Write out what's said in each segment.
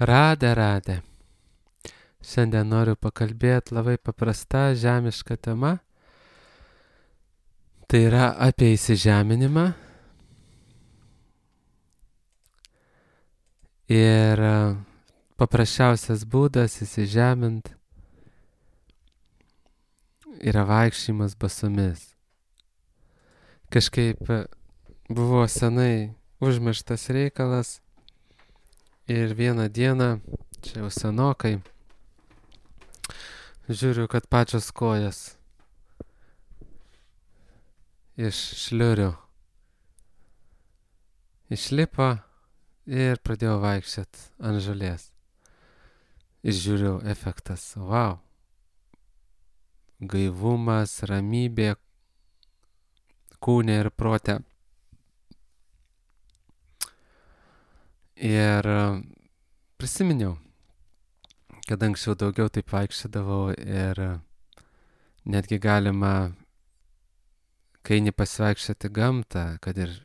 Radė. Šiandien noriu pakalbėti labai paprasta žemiška tema. Tai yra apie įsižeminimą. Ir paprasčiausias būdas įsižemint yra vaikščiojimas basomis. Kažkaip buvo senai užmirštas reikalas ir vieną dieną, čia jau senokai, žiūriu, kad pačios kojas iš šliurių išlipo ir pradėjau vaikščiot ant žolės. Ir žiūriu, efektas, wow. Gaivumas, ramybė kūne ir prote. Ir prisiminiau, kad anksčiau daugiau taip vaikščiodavau ir netgi galima, kai eini pasivaikščioti gamtą, kad ir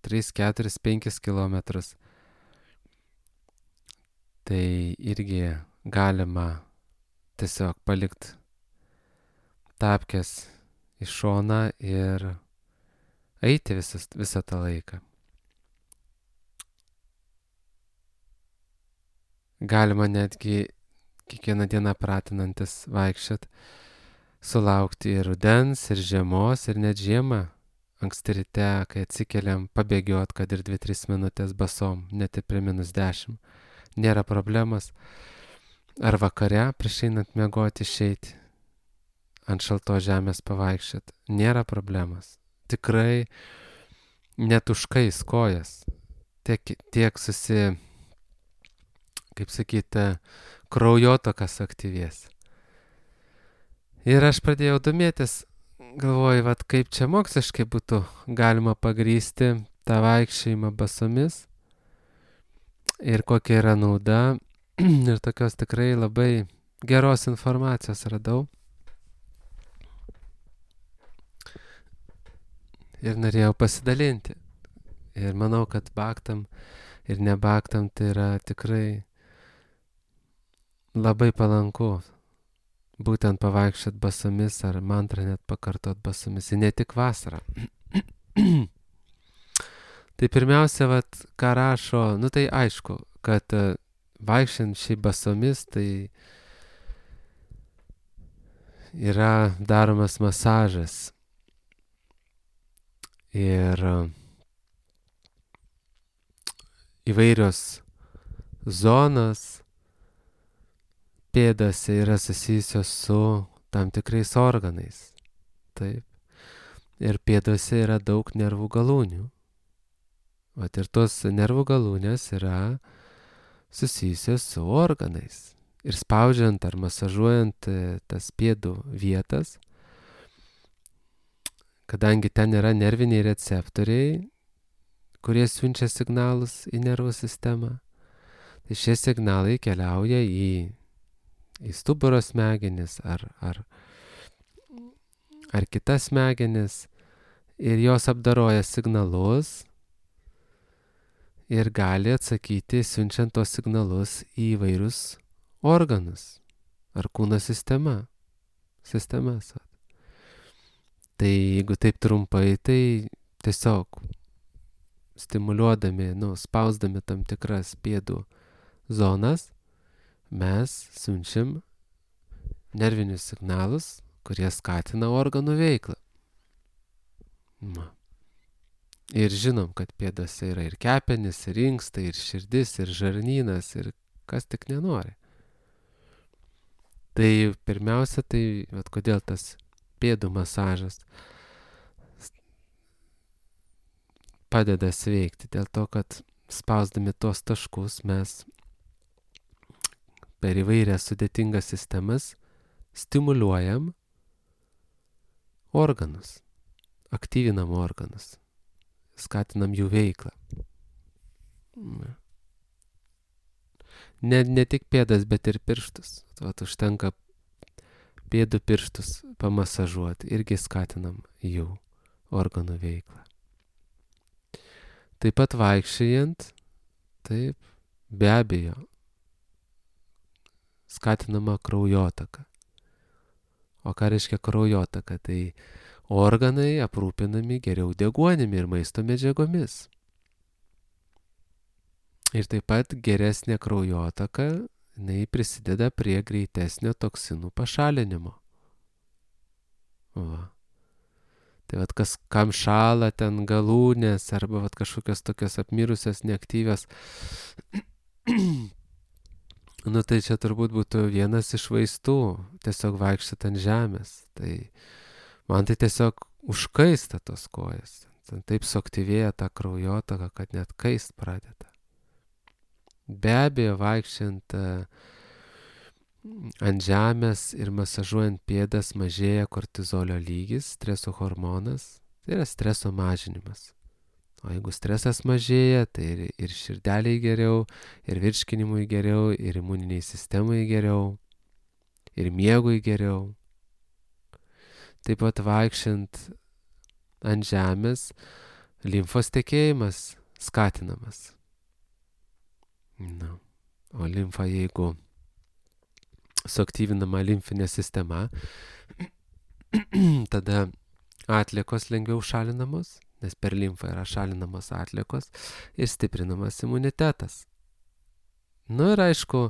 3, 4, 5 kilometrus, tai irgi galima tiesiog palikti tapkes į šoną ir eiti visą tą laiką. Galima netgi kiekvieną dieną pratinantis vaikščiot, sulaukti ir rudens, ir žiemos, ir net žiemą. Anksti ryte, kai atsikeliam, pabėgiot, kad ir 2-3 minutės basom, net ir prie -10. Nėra problemas. Ar vakare, prieš einant miegoti, išeiti ant šaltos žemės pavaikščiot. Nėra problemas. Tikrai net užkais kojas. Tiek kaip sakyti, kraujotakas aktyvės. Ir aš pradėjau domėtis, galvoju, kaip čia moksliškai būtų galima pagrįsti tą vaikščiojimą basomis ir kokia yra nauda. Ir tokios tikrai labai geros informacijos radau. Ir norėjau pasidalinti. Ir manau, kad baktam ir nebaktam tai yra tikrai labai palanku būtent pavaikščiot basomis ar mantrą net pakartot basomis. Ir ne tik vasarą. Tai pirmiausia, ką rašo, tai aišku, kad vaikščiant šiaip basomis, tai yra daromas masažas. Ir įvairios zonos pėdose yra susijusios su tam tikrais organais. Taip. Ir pėdose yra daug nervų galūnių. Ir tos nervų galūnės yra susijusios su organais. Ir spaudžiant ar masažuojant tas pėdų vietas, kadangi ten yra nerviniai receptoriai, kurie siunčia signalus į nervų sistemą, tai šie signalai keliauja į stuburo smegenis ar kitas smegenis ir jos apdoroja signalus ir gali atsakyti, siunčiant tos signalus į įvairius organus ar kūno sistemas. Tai jeigu taip trumpai, tai tiesiog stimuliuodami, spausdami tam tikras pėdų zonas, mes siunčiam nervinius signalus, kurie skatina organų veiklą. Ir žinom, kad pėdose yra ir kepenys, ir inkstai, ir širdis, ir žarnynas, ir kas tik nenori. Tai pirmiausia, kodėl tas pėdų masažas padeda sveikti, dėl to, kad spausdami tos taškus mes per įvairias sudėtingas sistemas stimuliuojam organus, aktyvinam organus, skatinam jų veiklą. Ne tik pėdas, bet ir pirštus. Užtenka pėdų pirštus pamasažuoti, irgi skatinam jų organų veiklą. Taip pat vaikščiojant, taip, be abejo, skatinama kraujotaka. O ką reiškia kraujotaka? Tai organai aprūpinami geriau deguonimi ir maisto medžiagomis. Ir taip pat geresnė kraujotaka, jinai prisideda prie greitesnio toksinų pašalinimo. Va. Tai vat kam šala ten galūnės arba vat kažkokios tokios apmirusios, neaktyvios, nu tai čia turbūt būtų vienas iš vaistų, tiesiog vaikščioti ant žemės. Tai man tai tiesiog užkaista tos kojas. Taip suaktyvėja ta kraujotaka, kad net kaist pradeda. Be abejo, vaikščiant ant žemės ir masažuojant pėdas mažėja kortizolio lygis, streso hormonas, tai yra streso mažinimas. O jeigu stresas mažėja, tai ir širdeliai geriau, ir virškinimui geriau, ir imuniniai sistemai geriau, ir miegui geriau. Taip pat vaikščiant ant žemės, limfos tekėjimas skatinamas. Na, o limfa, jeigu suaktyvinama limfinė sistema, tada atliekos lengviau šalinamos, nes per limfą yra šalinamos atliekos ir stiprinamas imunitetas. Nu ir aišku,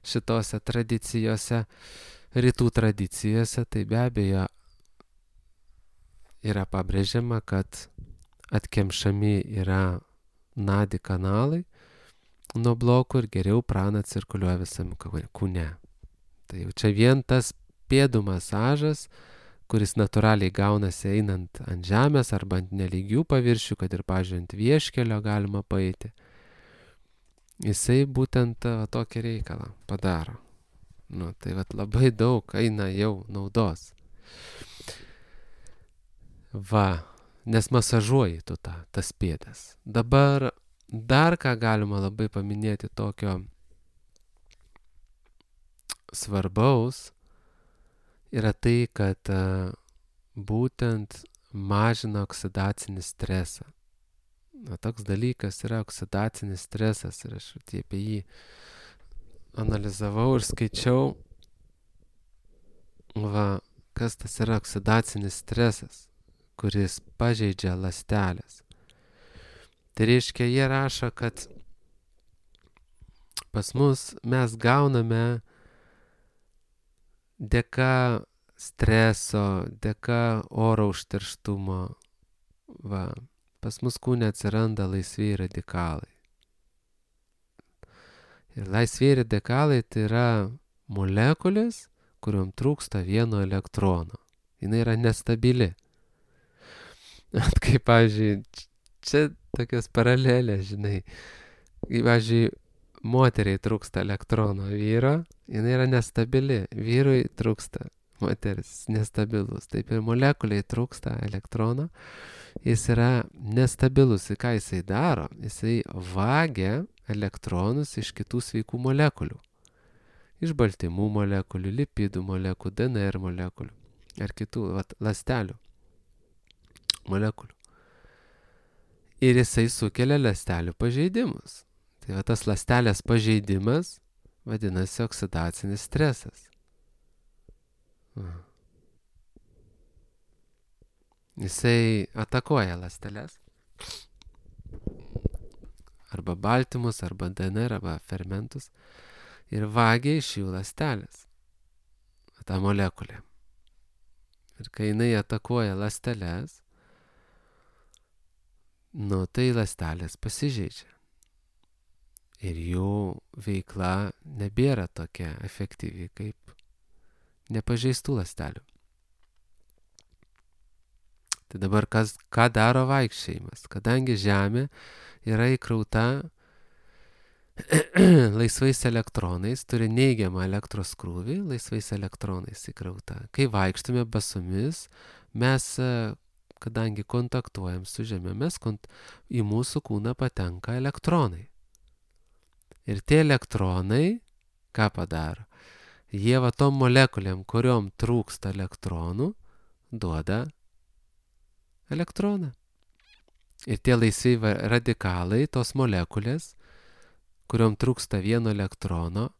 šitose tradicijose, rytų tradicijose, tai be abejo yra pabrėžiama, kad atkemšami yra nadi kanalai nuo blokų ir geriau prana cirkuliuoja visam kūne. Tai jau čia vien tas pėdų masažas, kuris natūraliai gaunasi einant ant žemės arba ant nelygių paviršių, kad ir, pavyzdžiui, ant vieškelio galima paeiti. Jisai būtent tokį reikalą padaro. Nu, tai vat labai daug eina jau naudos. Va, nes masažuoji tu tas pėdas. Dabar dar ką galima labai paminėti tokio svarbaus, yra tai, kad būtent mažina oksidacinį stresą. Na, toks dalykas yra oksidacinis stresas ir aš apie jį analizavau ir skaičiau, va, kas tas yra oksidacinis stresas, kuris pažeidžia ląsteles. Tai reiškia, jie rašo, kad pas mus mes gauname dėka streso, dėka oro užterštumo, va, pas mus kūne atsiranda laisvieji radikalai. Ir laisvieji radikalai tai yra molekulės, kuriuom trūksta vieno elektrono. Jis yra nestabili. Kaip, pavyzdžiui, čia tokios paralelės, žinai. Kaip, pavyzdžiui, moteriai trūksta elektrono vyro, jinai yra nestabili. Vyrui trūksta moteris nestabilus. Taip ir molekuliai trūksta elektrono. Jis yra nestabilus. Ir ką jisai daro? Jisai vagia elektronus iš kitų sveikų molekulių. Iš baltymų molekulių, lipidų molekulių, DNR molekulių ar kitų ląstelių molekulių. Ir jisai sukelia ląstelių pažeidimus. Tai tas ląstelės pažeidimas vadinasi oksidacinis stresas. Jisai atakuoja ląsteles. Arba baltymus, arba DNR, arba fermentus. Ir vagia iš jų ląstelės. Ta molekulė. Ir kai jinai atakuoja ląsteles, nu tai ląstelės pasižeidžia. Ir jų veikla nebėra tokia efektyvi kaip nepažeistų ląstelių. Tai dabar ką daro vaikščiojimas? Kadangi Žemė yra įkrauta laisvais elektronais, turi neigiamą elektros krūvį, laisvais elektronais įkrauta. Kai vaikštome basomis, mes, kadangi kontaktuojam su Žeme, į mūsų kūną patenka elektronai. Ir tie elektronai, ką padaro? Jie va tom molekulėm, kuriom trūksta elektronų, duoda elektroną. Ir tie laisvi radikalai, tos molekulės, kuriom trūksta vieno elektrono,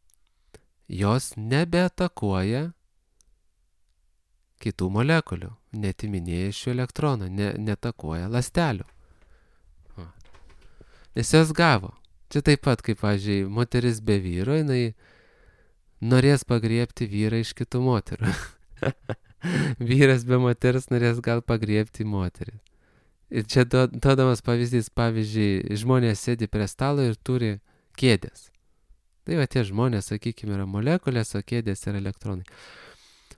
jos nebeatakuoja kitų molekulių, netiminėja iš jų elektronų, netakuoja ląstelių. Nes jos gavo. Čia taip pat, kaip, pavyzdžiui, moteris be vyro, jinai norės pagriebti vyrą iš kitų moterų. Vyras be moters norės gal pagriebti moterį. Ir čia duodamas pavyzdys, pavyzdžiui, žmonės sėdi prie stalo ir turi kėdės. Tai va tie žmonės, sakykime, yra molekulės, o kėdės yra elektronai.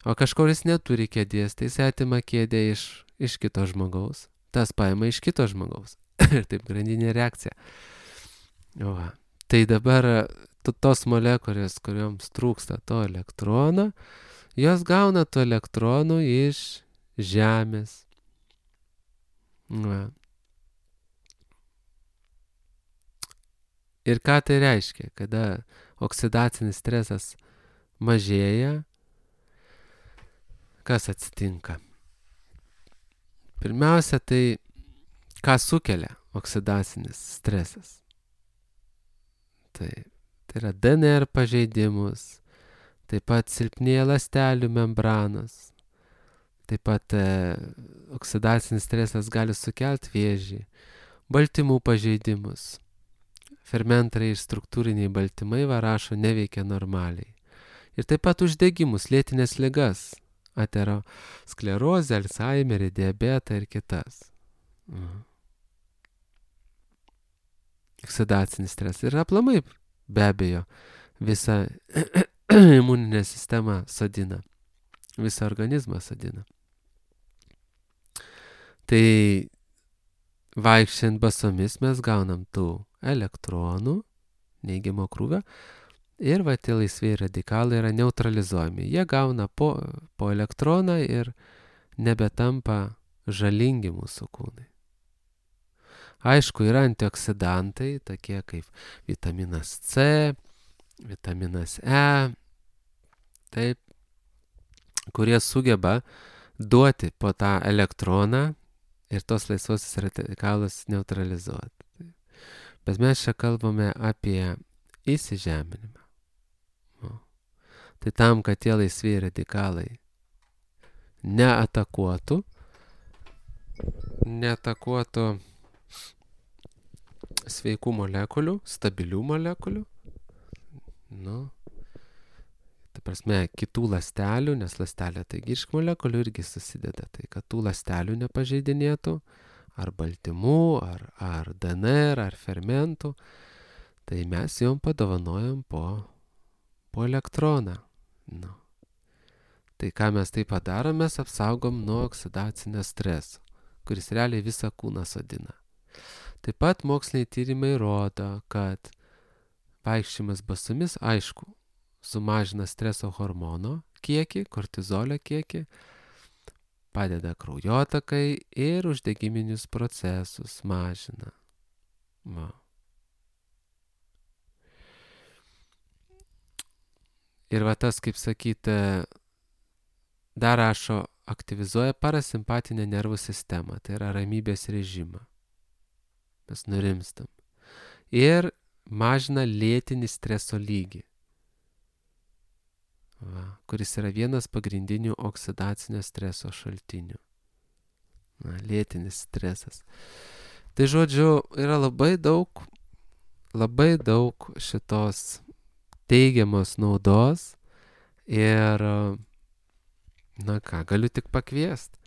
O kažkuris neturi kėdės, tai jis atima kėdę iš kito žmogaus, tas paima iš kito žmogaus. Ir taip grandinė reakcija. Va. Tai dabar tos molekulės, kurioms trūksta to elektrono, jos gauna to elektronų iš Žemės. Va. Ir ką tai reiškia, kada oksidacinis stresas mažėja, kas atsitinka? Pirmiausia, tai ką sukelia oksidacinis stresas? Tai yra DNR pažeidimus, taip pat silpnėja ląstelių membranos, taip pat oksidacinis stresas gali sukelti vėžį, baltymų pažeidimus. Fermentai ir struktūriniai baltymai rašo neveikia normaliai. Ir taip pat uždegimus, lėtinės ligas, aterosklerozę, Alzheimerį, diabetą ir kitas. Oksidacinis stresas ir aplamai, be abejo, visą imuninę sistemą sodina, visą organizmą sodina. Tai vaikščiant basomis mes gaunam tų elektronų, neigiamo krūvio, ir va tie laisvieji radikalai yra neutralizuojami. Jie gauna po elektroną ir nebetampa žalingi mūsų kūnai. Aišku, yra antioksidantai, tokie kaip vitaminas C, vitaminas E, taip, kurie sugeba duoti po tą elektroną ir tos laisvosios radikalus neutralizuoti. Bet mes čia kalbame apie įsižeminimą. Tai tam, kad tie laisvieji radikalai neatakuotų sveikų molekulių, stabilių molekulių, ta prasme, kitų ląstelių, nes ląstelė taigi iš molekulių irgi susideda, tai kad tų ląstelių nepažeidinėtų, ar baltymų, ar DNR, ar fermentų, tai mes jom padovanojam po elektroną. Tai ką mes taip padarom, mes apsaugom nuo oksidacinio streso, kuris realiai visą kūną sodina. Taip pat moksliniai tyrimai rodo, kad vaikščiojimas basomis, aišku, sumažina streso hormono kiekį, kortizolio kiekį, padeda kraujotakai ir uždegiminius procesus mažina. Va. Ir va tas, kaip sakyti, dar rašo, aktyvizuoja parasimpatinę nervų sistemą, tai yra ramybės režimą. Mes nurimstam. Ir mažina lėtinį streso lygį, kuris yra vienas pagrindinių oksidacinio streso šaltinių. Lėtinis stresas. Tai žodžiu, yra labai daug šitos teigiamos naudos ir, galiu tik pakviesti.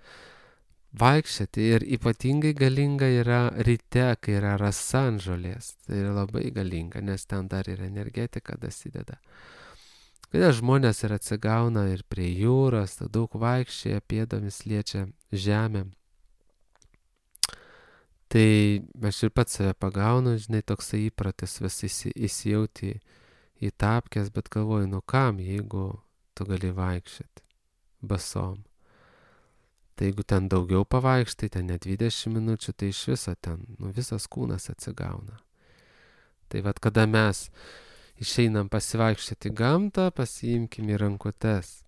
Vaikščioti ir ypatingai galinga yra ryte, kai yra rasa ant žolės. Tai yra labai galinga, nes ten dar ir energetika dasideda. Kada žmonės ir atsigauna ir prie jūros, tai daug vaikščioja, pėdomis liečia žemę. Tai aš ir pats save pagaunu, žinai, toksai įpratis vis įsijauti į tapkes, bet galvoju, kam, jeigu tu gali vaikščioti basom. Tai jeigu ten daugiau pavaikštai, ten net 20 minučių, tai iš viso ten, visas kūnas atsigauna. Tai vat kada mes išeinam pasivaikščioti gamtą, pasiimkim į rankutes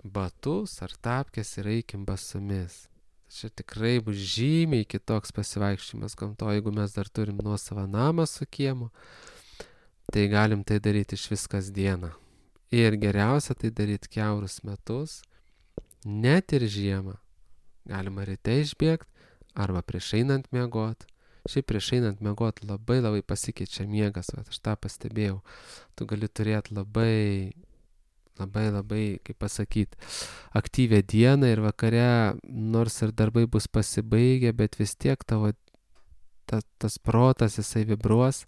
batus ar tapkes ir eikim basomis. Čia tikrai bus žymiai kitoks pasivaikščiojimas gamtoje, jeigu mes dar turim nuosavą namą su kiemu, tai galim tai daryti iš vis kasdieną. Ir geriausia tai daryti kiaurus metus, net ir žiemą. Galima ryte išbėgti arba prieš einant miegot. Šiaip prieš einant miegot labai pasikeičia miegas, aš tą pastebėjau. Tu gali turėti labai, kaip pasakyti, aktyvią dieną ir vakare, nors ir darbai bus pasibaigę, bet vis tiek tavo tas protas, jisai vibruos.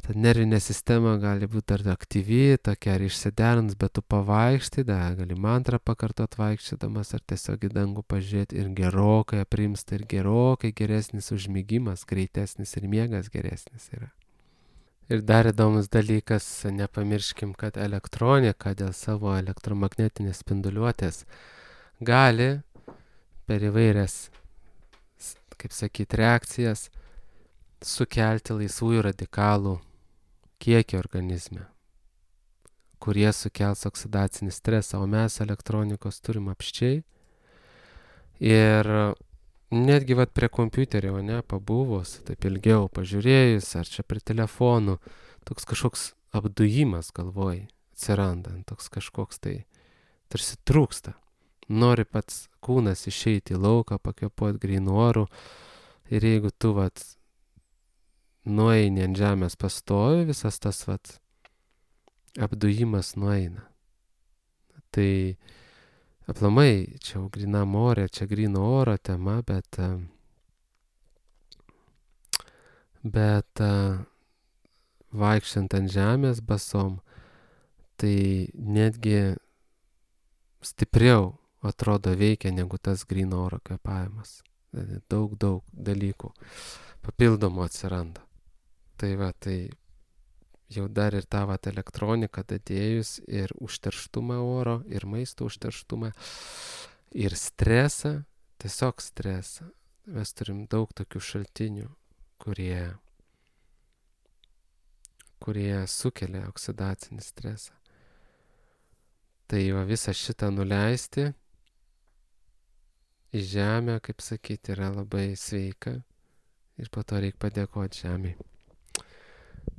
Ta nervinė sistema gali būti dar aktyvi, tokia ar išsiderins, bet tu pavaikštai, gali mantrą pakartot vaikščiodamas ar tiesiog į dangų pažiūrėti ir gerokai aprimsta ir gerokai geresnis užmigimas, greitesnis ir miegas geresnis yra. Ir dar įdomus dalykas, nepamirškim, kad elektronika dėl savo elektromagnetinės spinduliuotės gali per įvairias, kaip sakyti, reakcijas sukelti laisvųjų radikalų kiekį organizme, kurie sukels oksidacinį stresą, o mes elektronikos turim apščiai. Ir netgi prie kompiuterio, pabuvus, taip ilgiau pažiūrėjus, ar čia prie telefonų, toks kažkoks apdujimas galvoj atsiranda, toks kažkoks tai tarsi trūksta. Nori pats kūnas išeiti į lauką, pakvėpuoti grynu oru ir jeigu tu nueini ant žemės pastovi, visas tas apdujimas nueina. Tai aplamai, čia jau grynam ore, čia gryno oro tema, bet vaikščiant ant žemės basom, tai netgi stipriau atrodo veikia negu tas gryno oro kvėpavimas. Daug dalykų papildomų atsiranda. Tai jau dar ir tą elektroniką dadėjus ir užterštumą oro, ir maisto užterštumą, ir stresą, tiesiog stresą. Mes turim daug tokių šaltinių, kurie sukelia oksidacinį stresą. Tai visą šitą nuleisti į žemę, kaip sakyti, yra labai sveika ir po to reikia padėkoti žemei.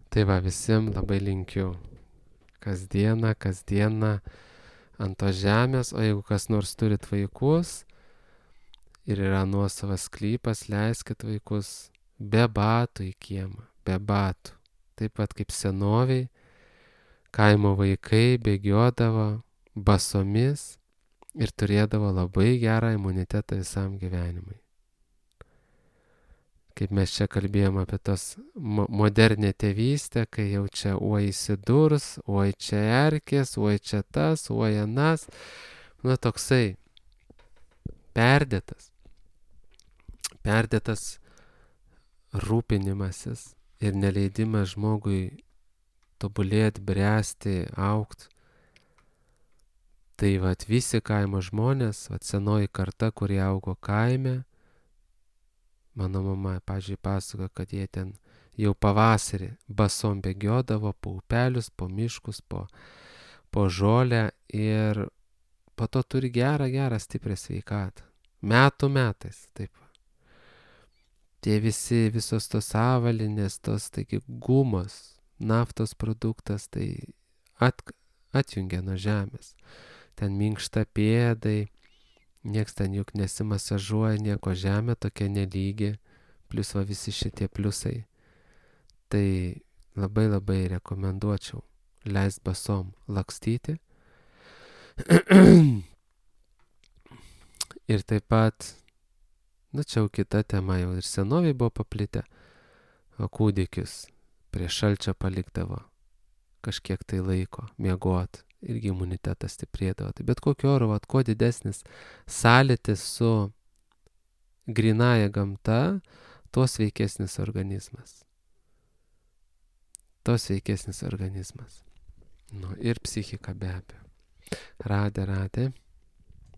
Tai visiems labai linkiu kasdieną ant tos žemės, o jeigu kas nors turit vaikus ir yra nuosavas sklypas, leiskit vaikus be batų į kiemą, be batų. Taip pat kaip senoviai, kaimo vaikai bėgiodavo basomis ir turėdavo labai gerą imunitetą visam gyvenimui. Kaip mes čia kalbėjom apie tos modernę tėvystę, kai jau čia oi įsidurs, oi čia erkės, oi čia tas, oi anas. Toksai perdėtas rūpinimasis ir neleidimas žmogui tobulėti, bręsti, augti. Tai visi kaimo žmonės, senoji karta, kurie augo kaime, mano mama, pavyzdžiui, pasakoja, kad jie ten jau pavasarį basom bėgiodavo po upelius, po miškus, po žolę ir po to turi gerą stiprią sveikatą. Metų metais, taip. Tie visos tos avalinės, tos, taigi, gumos, naftos produktas, tai atjungia nuo žemės. Ten minkšta pėdai. Niekas ten juk nesimasažuoja, nieko, žemė tokia nelygi, plus visi šitie pliusai. Tai labai rekomenduočiau leist basom lakstyti. Ir taip pat, čia jau kita tema, jau ir senoviai buvo paplitę, o kūdikius prie šalčio palikdavo kažkiek tai laiko miegot. Irgi imunitetas stiprėdavo. Tai bet kokio oro, kuo didesnis sąlytis su grynaja gamta, tuo sveikesnis organizmas. Ir psichika be abejo. Radė.